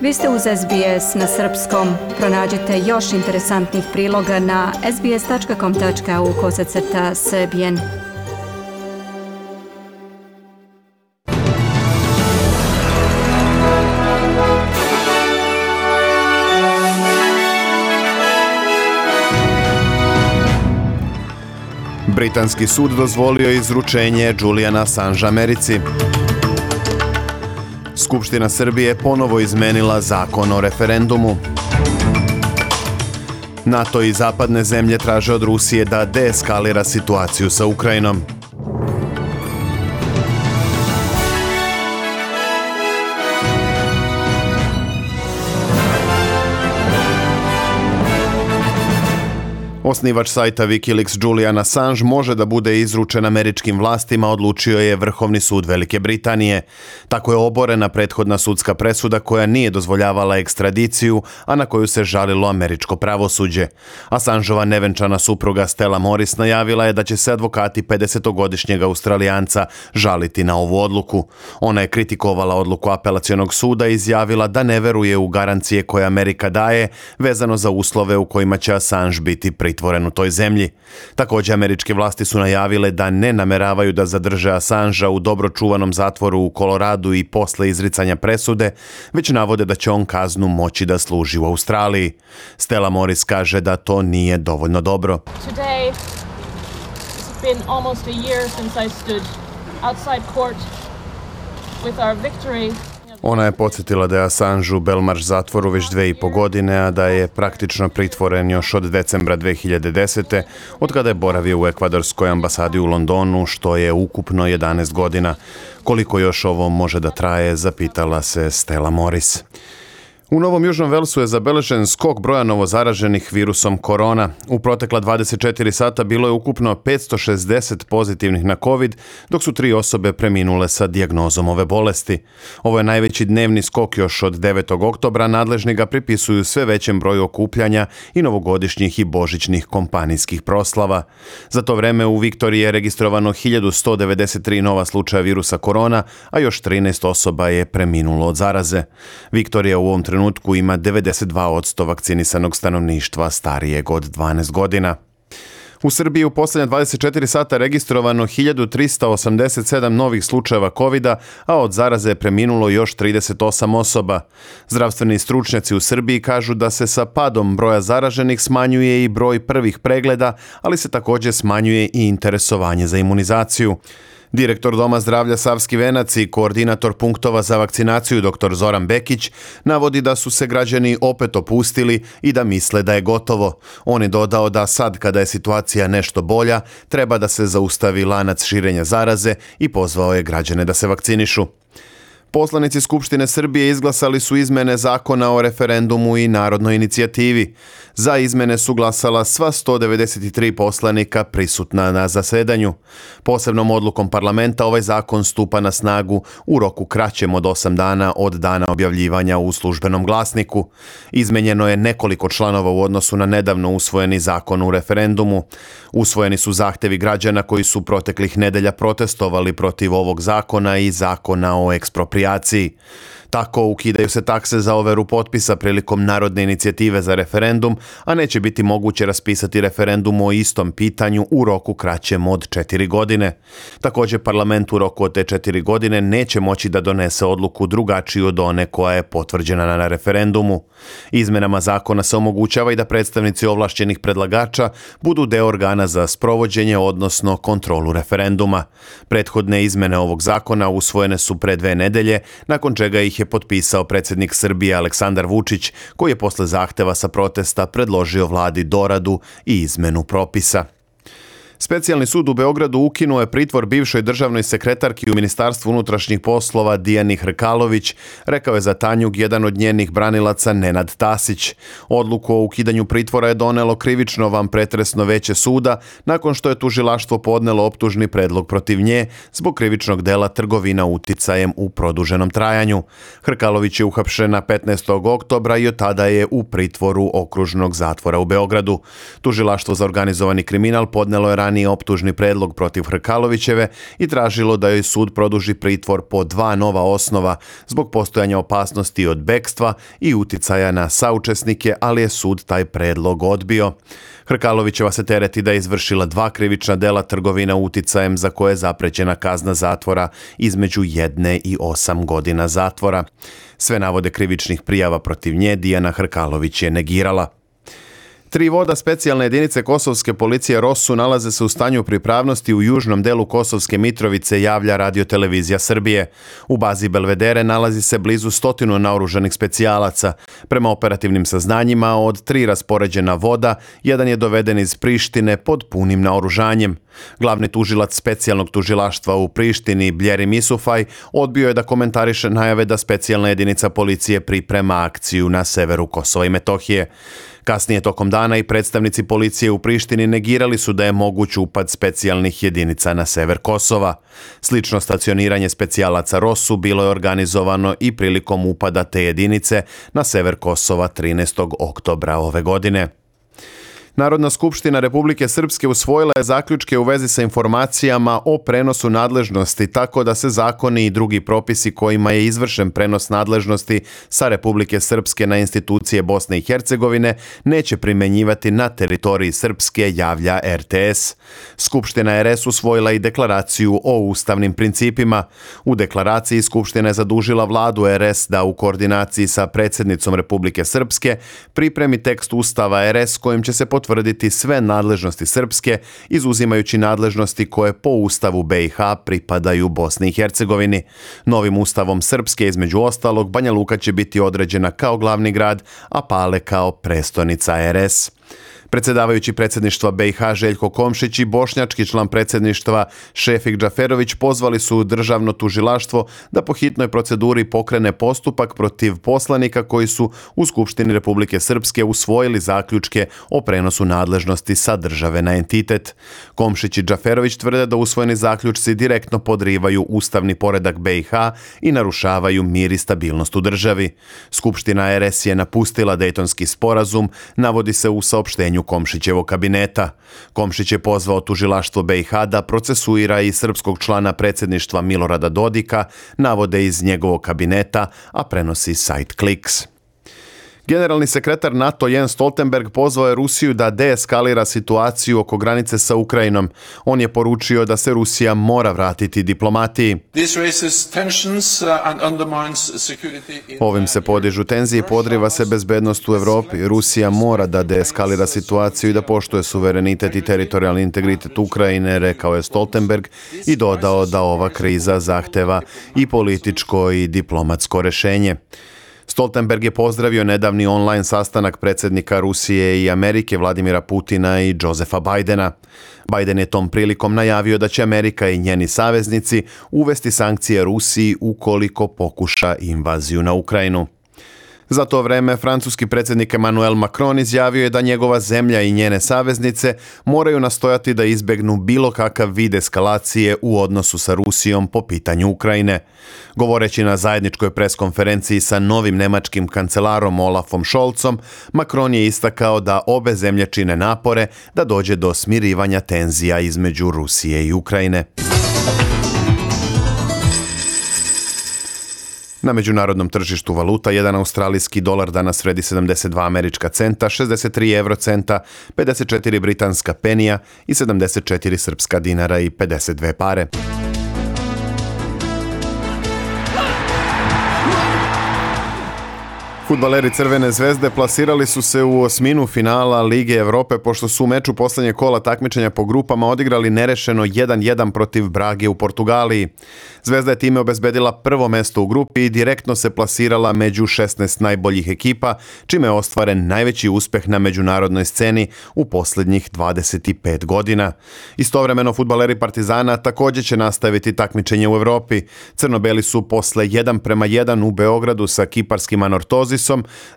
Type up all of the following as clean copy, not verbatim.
Vi ste uz SBS na srpskom. Pronađite još interesantnih priloga na sbs.com.au/srbijen. Britanski sud dozvolio izručenje Juliana Assangea Americi. Skupština Srbije ponovo izmenila zakon o referendumu. NATO i zapadne zemlje traže od Rusije da deeskalira situaciju sa Ukrajinom. Osnivač sajta Wikileaks Julian Assange može da bude izručen američkim vlastima, odlučio je Vrhovni sud Velike Britanije. Tako je oborena prethodna sudska presuda koja nije dozvoljavala ekstradiciju, a na koju se žalilo američko pravosuđe. Assangeova nevenčana supruga Stella Morris najavila je da će se advokati 50-godišnjeg Australijanca žaliti na ovu odluku. Ona je kritikovala odluku apelacionog suda i izjavila da ne veruje u garancije koje Amerika daje vezano za uslove u kojima će Assange biti pritvoren u toj zemlji. Također, američke vlasti su najavile da ne nameravaju da zadrže Assangea u dobro čuvanom zatvoru u Koloradu i posle izricanja presude, već navode da će on kaznu moći da služi u Australiji. Stella Morris kaže da to nije dovoljno dobro. Today it's been almost a year since I stood outside court with our victory. Ona je podsjetila da je Assange u Belmarsh zatvoru već 2,5 godine, a da je praktično pritvoren još od decembra 2010. od kada je boravio u ekvadorskoj ambasadi u Londonu, što je ukupno 11 godina. Koliko još ovo može da traje, zapitala se Stella Morris. U Novom Južnom Velsu je zabeležen skok broja novozaraženih virusom korona. U protekla 24 sata bilo je ukupno 560 pozitivnih na COVID, dok su 3 osobe preminule sa dijagnozom ove bolesti. Ovo je najveći dnevni skok još od 9. oktobra, nadležni ga pripisuju sve većem broju okupljanja i novogodišnjih i božićnih kompanijskih proslava. Za to vreme u Viktoriji je registrovano 1193 nova slučaja virusa korona, a još 13 osoba je preminulo od zaraze. Viktorija u ovom trenutku ima 92% vakcinisanog stanovništva starijeg od 12 godina. U Srbiji u posljednja 24 sata registrovano 1387 novih slučajeva COVID-a, a od zaraze je preminulo još 38 osoba. Zdravstveni stručnjaci u Srbiji kažu da se sa padom broja zaraženih smanjuje i broj prvih pregleda, ali se također smanjuje i interesovanje za imunizaciju. Direktor Doma zdravlja Savski Venac i koordinator punktova za vakcinaciju dr. Zoran Bekić navodi da su se građani opet opustili i da misle da je gotovo. On je dodao da sad kada je situacija nešto bolja, treba da se zaustavi lanac širenja zaraze i pozvao je građane da se vakcinišu. Poslanici Skupštine Srbije izglasali su izmene zakona o referendumu i narodnoj inicijativi. Za izmene su glasala sva 193 poslanika prisutna na zasedanju. Posebnom odlukom parlamenta ovaj zakon stupa na snagu u roku kraćem od 8 dana od dana objavljivanja u službenom glasniku. Izmenjeno je nekoliko članova u odnosu na nedavno usvojeni zakon o referendumu. Usvojeni su zahtevi građana koji su proteklih nedelja protestovali protiv ovog zakona i zakona o eksproprijaciji. Tako ukidaju se takse za overu potpisa prilikom narodne inicijative za referendum, a neće biti moguće raspisati referendum o istom pitanju u roku kraćem od 4 godine. Također parlament u roku od te 4 godine neće moći da donese odluku drugačiju od one koja je potvrđena na referendumu. Izmenama zakona se omogućava i da predstavnici ovlašćenih predlagača budu deo organa za sprovođenje, odnosno kontrolu referenduma. Prethodne izmene ovog zakona usvojene su pre 2 nedelje, nakon čega ih je potpisao predsjednik Srbije Aleksandar Vučić, koji je posle zahteva sa protesta predložio vladi doradu i izmenu propisa. Specijalni sud u Beogradu ukinuo je pritvor bivšoj državnoj sekretarki u Ministarstvu unutrašnjih poslova Dijani Hrkalović, rekao je za Tanjug jedan od njenih branilaca Nenad Tasić. Odluku o ukidanju pritvora je donelo krivično vanpretresno veće suda nakon što je tužilaštvo podnelo optužni predlog protiv nje zbog krivičnog dela trgovina uticajem u produženom trajanju. Hrkalović je uhapšena 15. oktobra i od tada je u pritvoru okružnog zatvora u Beogradu. Tužilaštvo za organizovani kriminal podnelo je ranije optužni predlog protiv Hrkalovićeve i tražilo da joj sud produži pritvor po 2 nova osnova zbog postojanja opasnosti od bekstva i uticaja na saučesnike, ali je sud taj predlog odbio. Hrkalovićeva se tereti da je izvršila 2 krivična dela trgovina uticajem za koje je zaprećena kazna zatvora između 1 i 8 godina zatvora. Sve navode krivičnih prijava protiv nje Dijana Hrkalović je negirala. 3 voda specijalne jedinice kosovske policije Rosu nalaze se u stanju pripravnosti u južnom delu Kosovske Mitrovice, javlja Radio-televizija Srbije. U bazi Belvedere nalazi se blizu 100 naoružanih specijalaca. Prema operativnim saznanjima, od 3 raspoređena voda, jedan je doveden iz Prištine pod punim naoružanjem. Glavni tužilac specijalnog tužilaštva u Prištini, Bljerim Isufaj, odbio je da komentariše najave da specijalna jedinica policije priprema akciju na severu Kosova i Metohije. Kasnije tokom dana i predstavnici policije u Prištini negirali su da je moguć upad specijalnih jedinica na sever Kosova. Slično stacioniranje specijalaca Rosu bilo je organizovano i prilikom upada te jedinice na sever Kosova 13. oktobra ove godine. Narodna skupština Republike Srpske usvojila je zaključke u vezi sa informacijama o prenosu nadležnosti, tako da se zakoni i drugi propisi kojima je izvršen prenos nadležnosti sa Republike Srpske na institucije Bosne i Hercegovine neće primenjivati na teritoriji Srpske, javlja RTS. Skupština RS usvojila i deklaraciju o ustavnim principima. U deklaraciji Skupština je zadužila vladu RS da u koordinaciji sa predsjednicom Republike Srpske pripremi tekst Ustava RS kojim će se potvrditi sve nadležnosti Srpske, izuzimajući nadležnosti koje po Ustavu BiH pripadaju Bosni i Hercegovini. Novim Ustavom Srpske, između ostalog, Banja Luka će biti određena kao glavni grad, a Pale kao prestonica RS. Predsjedavajući predsjedništva BiH Željko Komšić i bošnjački član predsjedništva Šefik Džaferović pozvali su državno tužilaštvo da po hitnoj proceduri pokrene postupak protiv poslanika koji su u Skupštini Republike Srpske usvojili zaključke o prenosu nadležnosti sa države na entitet. Komšić i Džaferović tvrde da usvojeni zaključci direktno podrivaju ustavni poredak BiH i narušavaju mir i stabilnost u državi. Skupština RS je napustila Dejtonski sporazum, navodi se u saopštenju Komšićevog kabineta. Komšić je pozvao tužilaštvo BiH da procesuira i srpskog člana predsjedništva Milorada Dodika, navode iz njegovog kabineta, a prenosi sajt Kliks. Generalni sekretar NATO Jens Stoltenberg pozvao je Rusiju da deeskalira situaciju oko granice sa Ukrajinom. On je poručio da se Rusija mora vratiti diplomatiji. Ovim se podižu tenzije i podriva se bezbednost u Evropi. Rusija mora da deeskalira situaciju i da poštuje suverenitet i teritorijalni integritet Ukrajine, rekao je Stoltenberg i dodao da ova kriza zahteva i političko i diplomatsko rešenje. Stoltenberg je pozdravio nedavni online sastanak predsjednika Rusije i Amerike Vladimira Putina i Josefa Bidena. Biden je tom prilikom najavio da će Amerika i njeni saveznici uvesti sankcije Rusiji ukoliko pokuša invaziju na Ukrajinu. Za to vreme francuski predsjednik Emmanuel Macron izjavio je da njegova zemlja i njene saveznice moraju nastojati da izbegnu bilo kakav vid eskalacije u odnosu sa Rusijom po pitanju Ukrajine. Govoreći na zajedničkoj preskonferenciji sa novim nemačkim kancelarom Olafom Scholzom, Macron je istakao da obe zemlje čine napore da dođe do smirivanja tenzija između Rusije i Ukrajine. Na međunarodnom tržištu valuta, jedan australijski dolar danas vredi 72 američka centa, 63 eurocenta, 54 britanska penija i 74 srpska dinara i 52 pare. Fudbaleri Crvene zvezde plasirali su se u osminu finala Lige Evrope pošto su u meču posljednjeg kola takmičenja po grupama odigrali nerešeno 1-1 protiv Brage u Portugaliji. Zvezda je time obezbedila prvo mesto u grupi i direktno se plasirala među 16 najboljih ekipa, čime je ostvaren najveći uspeh na međunarodnoj sceni u posljednjih 25 godina. Istovremeno fudbaleri Partizana također će nastaviti takmičenje u Evropi. Crnobeli su posle 1:1 u Beogradu sa kiparskim Anortozisom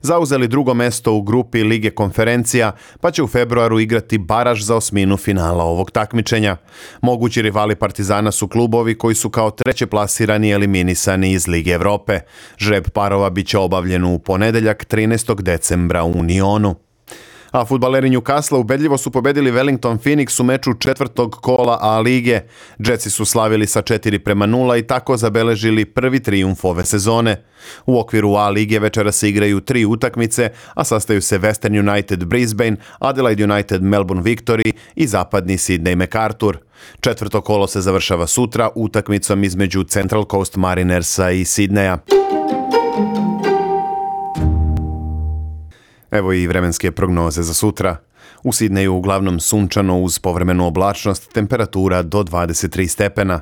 zauzeli drugo mesto u grupi Lige konferencija, pa će u februaru igrati baraž za osminu finala ovog takmičenja. Mogući rivali Partizana su klubovi koji su kao treće plasirani eliminisani iz Lige Evrope. Žreb parova biće obavljen u ponedeljak 13. decembra u Unionu. A fudbaleri Newcastle ubedljivo su pobedili Wellington Phoenix u meču četvrtog kola A lige. Jetsi su slavili sa 4-0 i tako zabeležili prvi trijumf ove sezone. U okviru A lige večera se igraju 3 utakmice, a sastaju se Western United Brisbane, Adelaide United Melbourne Victory i zapadni Sydney MacArthur. Četvrto kolo se završava sutra utakmicom između Central Coast Marinersa i Sydneya. Evo i vremenske prognoze za sutra. U Sidneju uglavnom sunčano uz povremenu oblačnost, temperatura do 23 stepena.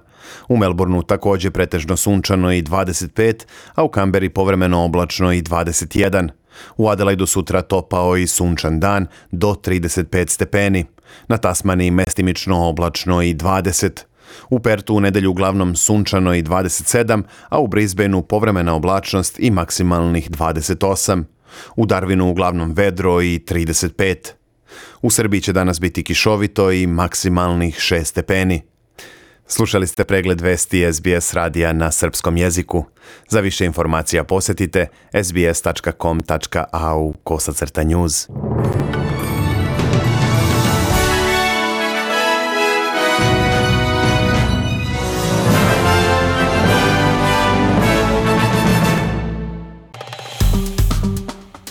U Melbourneu također pretežno sunčano i 25, a u Kamberi povremeno oblačno i 21. U Adelaidu sutra topao i sunčan dan do 35 stepeni. Na Tasmaniji mestimično oblačno i 20. U Pertu u nedelju uglavnom sunčano i 27, a u Brisbaneu povremena oblačnost i maksimalnih 28. U Darwinu uglavnom vedro i 35. U Srbiji će danas biti kišovito i maksimalnih 6 stepeni. Slušali ste pregled vesti SBS radija na srpskom jeziku. Za više informacija posjetite sbs.com.au/news.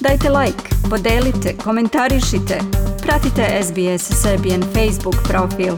Dajte like, podelite, komentarišite. Pratite SBS Serbian Facebook profil.